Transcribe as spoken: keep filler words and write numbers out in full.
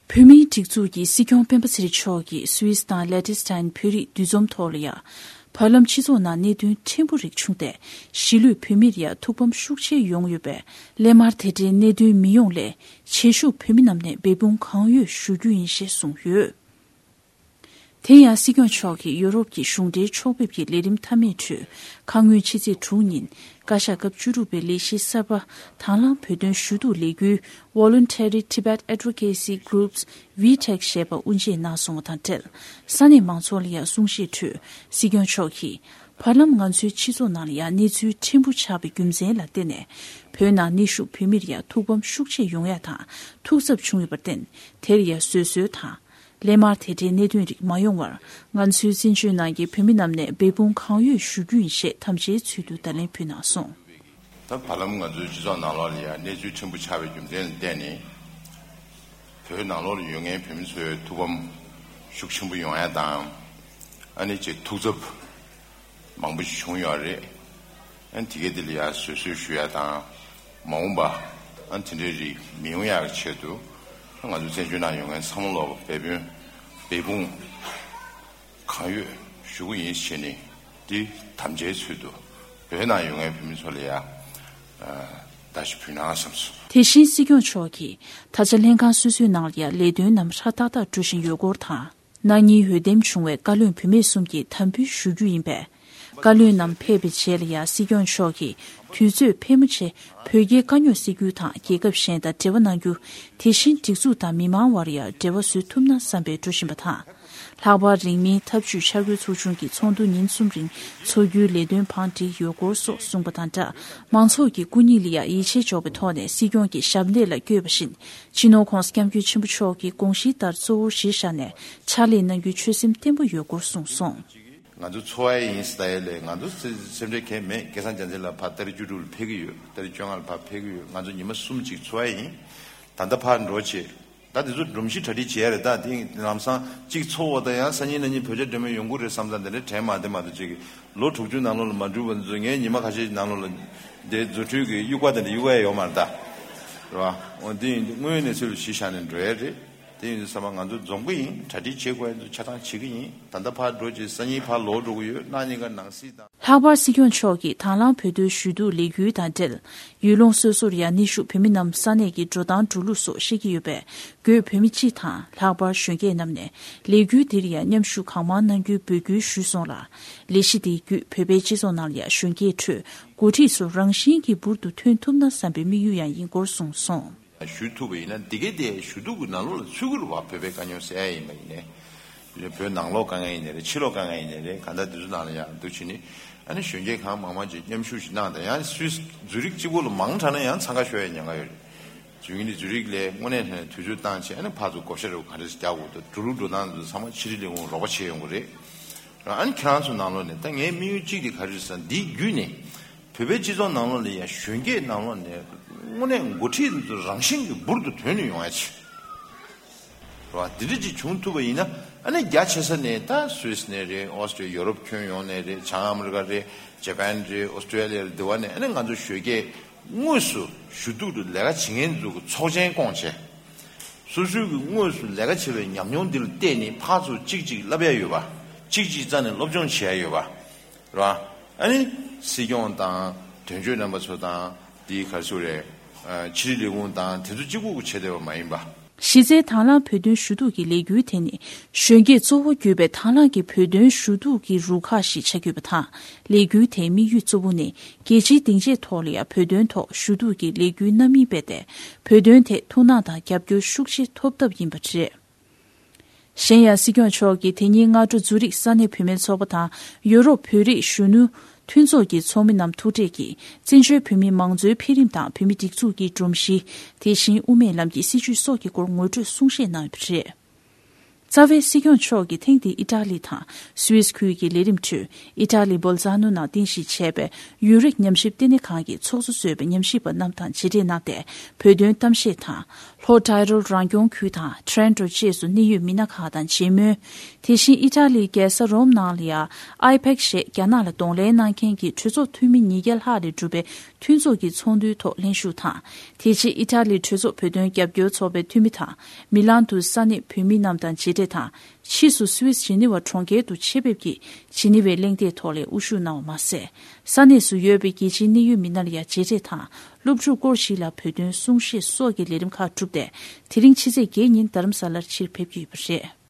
བོད་མིའི་སྒྲིག་འཛུགས་ཀྱི་སྲིད་སྐྱོང་སྤེན་པ་ཚེ་རིང་མཆོག་གིས་སུད་སི་དང་ལེ་ཏི་སི་ཐན་བོད་རིགས་འདུ་འཛོམས་ཐོག་ལ་ཡང་། བར་ལམ་སྤྱི་ཚོགས་ནང་གནད་དོན་ཕྲན་བུ་རིགས་བྱུང་སྟེ། གཞིས་ལུས་བོད་མིར་ཡང་ཐུགས་ཕམ་ཤུགས་ཆེ་ཡོང་ཡོད་པས། སླད་མར་དེ་འདྲའི་གནད་དོན་མི་ཡོང་སླད། བྱེད་ཤུགས་བོད་མི་རྣམས་ནས་འབད་འབུངས་གང་ཡོད་ཞུ་རྒྱུ་ཡིན་ཞེས་གསུངས་ཡོད། དེ་ཡང་སྲིད་སྐྱོང་མཆོག་གིས་ཡུ་རོབ་ཀྱི་གཞུང་འབྲེལ་ཕྱོགས་ཕེབས་ཀྱི་ལས་རིམ་མཐའ་མའི་ཁྲོད། ཁ་སྔོན་ཕྱི་ཚེས་དྲུག་ཉིན། བཀའ་ཤག་སྐབས་བཅུ་དྲུག་པའི་ལས་གཞི་གསར་པ། དང་བླངས་བོད་དོན་ཞུ་གཏུག་ལས་འགུལ། Voluntary Tibet Advocacy Groups, VTAG ཞེས་པ་དབུ་འབྱེད་གནང་སོང་བ་དང་འབྲེལ། ས་གནས་མང་ཚོགས་ལ་ཡང་གསུང་བཤད་ཁྲོད། སྲིད་སྐྱོང་མཆོག་གིས། བར་ལམ་ང་ཚོའི་སྤྱི་ཚོགས་ནང་ལ་ཡང་གནས་ཚུལ་ཕྲན་བུ་ཆགས་པའི་རྒྱུ་མཚན་ལ་བརྟེན་ནས། བོད་ནང་གནས་བཞུགས་བོད་མིར་ཡང་ཐུགས་ཕམ་ཤུགས་ཆེ་ཡོང་ཡ་དང་ཐུགས་འཚབ་བྱུང་ཡོད་པར་བརྟེན། དེར་ཡང་བཟོད་གསོལ་དང་། སླད་མར་དེ་འདྲའི་གནད་དོན་རིགས་མ་ཡོང་བར། ང་ཚོའི་བཙན་བྱོལ་ནང་གི་བོད་མི་རྣམས་ནས་འབད་འབུངས་གང་ཡོད་ཞུ་རྒྱུ་ཡིན་ཞེས་དམ་བཅའི་ཚུལ་དུ་བརྡ་ལན་ཕུལ་གནང་སོང་། ད་བར་ལམ་ང་ཚོའི་སྤྱི་ཚོགས་ནང་ལོགས་ལ་ཡང་གནས་ཚུལ་ཕྲན་བུ་ཆགས་པའི་རྒྱུ་མཚན་ལ་བརྟེན་ནས། བོད་ནང་ལོགས་ལ་ཡོད་མཁན་བོད་མི་ཚོའི་ཐུགས་ཕམ་ཤུགས་ཆེན་པོ་ཡོང་ཡ་དང་། ཨ་ནི་ཅིག་ཐུགས་འཚབ་མང་པོ་ཞིག་བྱུང་ཡོད་རེད། ཨ་ནི་དེ་གའི་དེ་ལ་ཡང་བཟོད་གསོལ་ཞུ་ཡ་དང་། མ་འོངས་པ་ཨ་ནི་དེ་འདྲའི་རིགས་མི་ཡོང་ཡག་གི་ཆེད་དུ། ང་ཚོ་བཙན་བྱོལ་ནང་ཡོད་མཁན་ཚང་མ་ལོག་འབད་བརྩོན་འབད་འབུངས་གང་ཡོད་ཞུ་གི་ཡིན་ཞེས་ནས། འདི་དམ་བཅའི་ཚུལ་དུ་བོད་ནང་ཡོད་མཁན་བོད་མི་ཚོ་ལ་ཡང་བརྡ་ཞིག་ཕུལ་ན་བསམས་སོང་། དེ་བཞིན་སྲིད་སྐྱོང་མཆོག་གིས་ད་ཆ་ལྷན་ཁང་སོ་སོའི་ནང་ལ་ཡང་ལས་དོན་རྣམས་ཧྲ་ཏག་ཏག་འགྲོ་བཞིན་ཡོད་སྐོར་དང་། ན་ནིང་འོས་འདེམས་བྱུང་བའི་བཀའ་བློན་བུད་མེད་གསུམ་གྱིས་དམ་འབུལ་ཞུ་རྒྱུ་ཡིན་པས། བཀའ་བློན་རྣམས་ཕེབས་པའི་རྗེས་ལ་ཡང་སྲིད་སྐྱོང་མཆོག་གིས་དུས་ཚོད་ཕལ་མོ་ཆེ་བོད་རྒྱའི་དཀའ་རྙོག་སེལ་རྒྱུ་དང་རྒྱལ་ཁབ་གཞན་དང་འབྲེལ་བ་གནང་རྒྱུ། དེ་བཞིན་སྒྲིག་འཛུགས་དང་མི་མང་དབར་ཡང་འབྲེལ་བ་བཟོ་ཐུབ་ན་བསམ་པའི་འགྲོ་བཞིན་པ་དང་། ལྷག་པར་རིང་མིན་འཐབ་ཇུས་འཆར་འགོད་ཚོགས་ཆུང་གི་ཚོགས་འདུ་ཉིན་གསུམ་རིང་འཚོགས་རྒྱུའི་ལས་དོན་བང་བསྒྲིགས་ཡོད་སྐོར་སོགས་གསུངས་པ་དང་སྦྲགས། མང་ཚོགས་ཀྱི་སྐུ་ཉིད་ལ་ཡང་ཡིད་ཆེས་འཇོག་པའི་ཐོག་ནས་སྲིད་སྐྱོང་གི་ཞབས་འདེགས་ལ་བསྐྱོད་པ་བཞིན། སྤྱི་ནོར་༸གོང་ས་༸སྐྱབས་མགོན་ཆེན་པོ་མཆོག་གི་དགོངས་གཞི་ལྟར་གཙོ་བོར་གཞི་བཞག་ནས་ཕྱག་ལས་གནང་རྒྱུའི་ཆོད་སེམས་བརྟན་པོ་ཡོད་སྐོར་གསུངས་སོང་། ང་ཚོ་འཚོ་བ་ཡིན་ཟེར་ཡ་ལས་ང་ཚོ་སེམས་ཁྲལ་གང་ཡང་མེད། སྐལ་བཟང་རྒྱལ་མཚན་ལགས་ཕར་ཏ་རིག་བཅུ་དྲུག་ལ་ཕེབས་ཀྱི་ཡོད། ཏ་རིག་བཅོ་ལྔ་ལ་ཕར་ཕེབས་ཀྱི་ཡོད། ང་ཚོ་ཉི་མ་གསུམ་གཅིག་འཚོ་བ་ཡིན། ད་ལྟ་ཕར་འགྲོ་བྱེད། ད་དེ་ཚོ་སྒྲོམ་གཞི་གྲ་སྒྲིག་བྱས་རེད། ད་དེ་ལམ་སང་གཅིག་ཚོགས་པ་དང་ཡང་སང་ཉིན་གནངས་ཉིན་བོད་རྒྱ་འབྲེལ་མོལ་ཡོང་གི་རེད་བསམ་ཙང་དེ་འདྲ་དྲན་མ་བདེ་མ་གཏོགས་ཅིག་ལོ་དྲུག་ཅུ་ནང་ལོགས་ལ་མ་འགྲུབ་པ་ཚོ་ངས་ཉི་མ་ཁ་ཤས་ནང་ལོགས་ལ་དེ་རྫུ་འཕྲུལ་གྱི་དབྱུག་པ་དེ་འདྲ་གཡུག་ཡ་ཡོད་མ་རེད་ད། རེད་བ། འོ་དེ་ཡིན་དུས་དངོས་ཡོད་གནས་ཚུལ་ལ་གཞི་བཞག་ནས་འགྲོ་ཡ་རེད། དེ་ཡིན་དུས་ཚང་མ་ང་ཚོ་འཛོམས་ཀྱི་ཡིན། གྲ་སྒྲིག་བྱེད་དགོས་ཡ་ཚོ་ཆ་ཚང་བྱེད་ཀྱི་ཡིན། ད་ལྟ་ཕར་འགྲོ་རྗེས་སང་ཉིན་ཕར་ལོག་འགྲོ་གི་ཡོད། གནངས་ཉིན་ཀ་ནང་སྲིད་དང་། ལྷག་པར་སྲིད་སྐྱོང་མཆོག་གིས་དང་བླངས་བོད་དོན་ཞུ་གཏུག་ལས་འགུལ་དང་འབྲེལ། ཡུལ་ལུང་སོ་སོར་ཡང་གནས་བཞུགས་བོད་མི་རྣམས་ས་གནས་ཀྱི་འགྲོ་སྟངས་འགྲོ་ལུགས་སོགས་ཤེས་ཀྱི་ཡོད་པས། འགོས་བོད་མི་སྤྱི་དང་ལྷག་པར་གཞོན་སྐྱེས་རྣམས་ནས་ལས་འགུལ་འདིར་ཡང་མཉམ་ཞུགས་གང་མང་གནང་རྒྱུའི་འབོད་སྐུལ་ཞུས་སོང་ལ། ལས་གཞི་དེའི་བརྒྱུད་བོད་པའི་སྤྱི་ཚོགས་ནང་ལ་ཡང་གཞོན་སྐྱེས་ཁྲོད་འགོ་ཁྲིད་ཚོ་རང་བཞིན་གྱིས་འབུར་དུ་ཐོན་ཐུབ་ན་བསམ་པའི་དམིགས་ཡུལ་ཡང་ཡིན་སྐོར་གསུངས་སོང་། ཞུ་ཐུབ་པ་ཡིན་ན་འདི་གའི་དེ་ཞུ་གཏུག་གི་ནང་ལོགས་ལ་ཚུད་ཀྱི་རེད་བ། བོད་པའི་དཀའ་རྙོག་སེལ་ཡ་ཡིན་པ་ཡིན་ནའི། བོད་ནང་ལོགས་དཀའ་ངལ་ཡིན་ནའི་རེད། ཕྱི་ལོགས་དཀའ་ངལ་ཡིན་ནའི་རེད། གང་ལྟར་འདི་ཚོ་ནང་ལ་ཡང་འདུག་བྱས་ནས་ཨ་ནི་གཞོན་སྐྱེས་གང་མང་མང་ཅིག་མཉམ་ཞུགས་ཤིག་གནང་དང་། ཡང་སུད་སི་ཛུ་རིག་གཅིག་པོ་ལ་མང་དྲགས་ན་ཡང་འཚང་ཁ་ཤོར་ཡ་ཉེན་ཁ་ཡོད་རེད། བྱས་ཙང་ནི་ཛུ་རིག་ལ་དངོས་གནས་དྲང་གནས་དུས་ཚོད་བཏང་བྱས་ཨ་ནི་ཕར་ཚུར་བགོ་བཤའ་རེ་ག་འདྲ་ཞིག་རྒྱག་དགོས་འདུག་འགྲོ་ལུགས་འགྲོ་སྟངས་འདི་ཚོ་ཚང་མ་ཕྱི་དྲིལ་ལས་ཁུངས་རོགས་པ་བྱེད་ཡོང་གི་རེད། ཨ་ནི་ཁྱེད་རང་ཚོ་ནང་ལོགས་ནས་ད་ངའི་དམིགས་ཡུལ་གཅིག་དེ་ག་རེ་རེད་ཟེར་ན། འདིའི་བརྒྱུད་ནས་བོད་པའི་སྤྱི་ཚོགས་ནང་ལོགས་ལ་ཡང་གཞོན་སྐྱེས་ནང་ལོགས་ནས་དངོས་གནས་འགོ་ཁྲིད་འདི་ཚོ་རང་བཞིན་གྱིས་འབུར་དུ་ཐོན་ནས་ཡོང་ཡ་ཆེད། རེད་བ། འདི་འདྲ་ཅིག་བྱུང་ཐུབ་པ་ཡིན་ན་ཨ་ནི་རྒྱ་ཆེ་ས་ནས་ད་སུད་སི་ནས་རེད། ཨོ་སི་ཀྲི་ཡོ་རོབ་ཁྱོན་ཡོངས་ནས་རེད། བྱང་ཨ་མི་རི་ཀ་རེད། ཇ་པན་རེད། ཨོ་སི་ཀྲི་ལི་ཡ་རེད། འདི་བ་ནས་ཨ་ནི་ང་ཚོ་གཞོན་སྐྱེས་དངོས་སུ་ཞུ་གཏུག་ཏུ་ལས་ཀ་བྱེད་མཁན་ཚོ་གི་ཚོགས་ཆེན་བསྐོངས་བྱས། སོ་སོའི་གི་དངོས་སུ་ལས་ཀ་བྱེད་པའི་ཉམས་མྱོང་འདི་ལ་བལྟས་ནས་ཕར་ཚུར་གཅིག་གཅིག་བསླབ་ཡ་ཡོད་པ། གཅིག་གཅིག་རྩ་ནས་སློབ་སྦྱོང་བྱེད་ཡ་ཡོད་པ། རེད་བ། ཨ་ནི་སྲིད་སྐྱོང་དང་དོན་གཅོད་རྣམ་པ་ཚོ་དང་དེའི་ག་རེ་ཟེར་དགོས་རེད། ཕྱི་དྲིལ་ལས་ཁུངས་དང་དེ་ཚོ་གཅིག་པུ་གི་བྱེད་བསྡད་པ་མ་ཡིན་པ། གཞི་རྩའི་དང་བླངས་བོད་དོན་ཞུ་གཏུག་གི་ལས་འགུལ་དེ་ནི་གཞོན་སྐྱེས་གཙོ་བོ་གྱུར་པའི་དང་བླངས་ཀྱི་བོད་དོན་ཞུ་གཏུག་གི་རུ་ཁག་ཞིག་ཆགས་ཡོད་པ་དང་། ལས་འགུལ་དེའི་དམིགས་ཡུལ་གཙོ་བོ་ནི་རྒྱལ་སྤྱིའི་སྡིངས་ཆའི་ཐོག་ལ་ཡང་བོད་དོན་ཐོག་ཞུ་གཏུག་གི་ལས་འགུལ་སྣ་མིན་སྤེལ་ཏེ། བོད་དོན་ཐད་ཐུགས་སྣང་དང་རྒྱབ་སྐྱོར་ཤུགས་ཆེ་ཐོབ་ཐབས་ཡིན་པ་རེད། གཞན་ཡང་སྲིད་སྐྱོང་མཆོག་གིས་དེ་ཉིན་སྔ་དྲོ་ཛུ་རིག་ས་གནས་བུད་མེད་ཚོགས་པ་དང་ཡུ་རོབ་བོད་རིགས་གཞོན་ནུ་མཐུན་ཚོགས་ཀྱི་ཚོགས་མི་རྣམས་ཐུག་འཕྲད་ཀྱིས་བཙན་བྱོལ་བོད་མིའི་མང་གཙོའི་འཕེལ་རིམ་དང་བོད་མིའི་སྒྲིག་འཛུགས་ཀྱི་སྒྲོམ་གཞི། དེ་བཞིན་དབུ་མའི་ལམ་གྱི་སྲིད་བྱུས་སོགས་ཀྱི་སྐོར་ངོ་སྤྲོད་གསུང་བཤད་གནང་ཡོད་པ་རེད། རྩ་བའི་སྲིད་སྐྱོང་མཆོག་གིས་ཐེངས་འདིའི་ཨི་ཊ་ལི་དང་སུད་སི་ཁུལ་གྱི་ལས་རིམ་ཁྲོད་ཨི་ཊ་ལི་སྦོལ་ཛ་ནོ་ནང་རྟེན་གཞི་བྱས་པའི་ཡུན་རིང་ཉམས་ཞིབ་ལྟེ་གནས་ཁང་གི་ཚོགས་གཙོ་གཙོས་པའི་ཉམས་ཞིབ་པ་རྣམས་དང་མཇལ་འཕྲད་གནང་སྟེ། བོད་དོན་གཏམ་བཤད་དང་། ལྷོ་ཏཱི་རོལ་རང་སྐྱོང་ཁུལ་དང་ཊོ་རོན་ཊོ་བཅས་སུ་གནད་ཡོད་མི་སྣ་ཁག་དང་མཇལ་མོལ། དེ་བཞིན་ཨི་ཊ་ལིའི་རྒྱལ་ས་རོམ་ནང་ལ་ཡང་ཨའི་པེག་ཞེས་རྒྱ་ནག་ལ་གདོང་ལེན་གནང་མཁན་གྱི་གྲོས་ཚོགས་འཐུས་མི་ཉིས་བརྒྱ་ལྷག་ལས་གྲུབ་པའི་མཐུན་ཚོགས་ཀྱི་ཚོགས་འདུའི་ཐོག་ལྷན་ཞུགས་དང་། དེ་རྗེས་ཨི་ཊ་ལིའི་གྲོས་ཚོགས་བོད་དོན་རྒྱབ་སྐྱོར་ཚོགས་པའི་འཐུས་མི་དང་། མི་ལན་དུ་ས་གནས་བོད་མི་རྣམས་དང་མཇལ་འཕྲད་དང་། ཕྱིས་སུ་སུད་སི་ཇི་ནི་ཝ་གྲོང་ཁྱེར་དུ་ཆེད་ཕེབས་ཀྱིས་ཇི་ནི་ཝའི་གླེང་སྟེགས་ཐོག་ལ་དབུ་བཞུགས་གནང་བ་མ་ཟད། ས་གནས་སུ་ཡོད་པའི་རྒྱལ་སྤྱིའི་གནད་ཡོད་མི་སྣ་ལ་ཡང་མཇལ་འཕྲད་དང་། སློབ་ཕྲུག་སྐོར་ཞིག་ལ་བོད་དོན་གསུང་བཤད་སོགས་ཀྱི་ལས་རིམ་ཁག་བསྒྲུབས་ཏེ། དེ་རིང་ཕྱི་ཚེས་བརྒྱད་ཉིན་རྡ་རམ་ས་ལར་ཕྱིར་ཕེབས་ཀྱི་ཡོད་པ་རེད།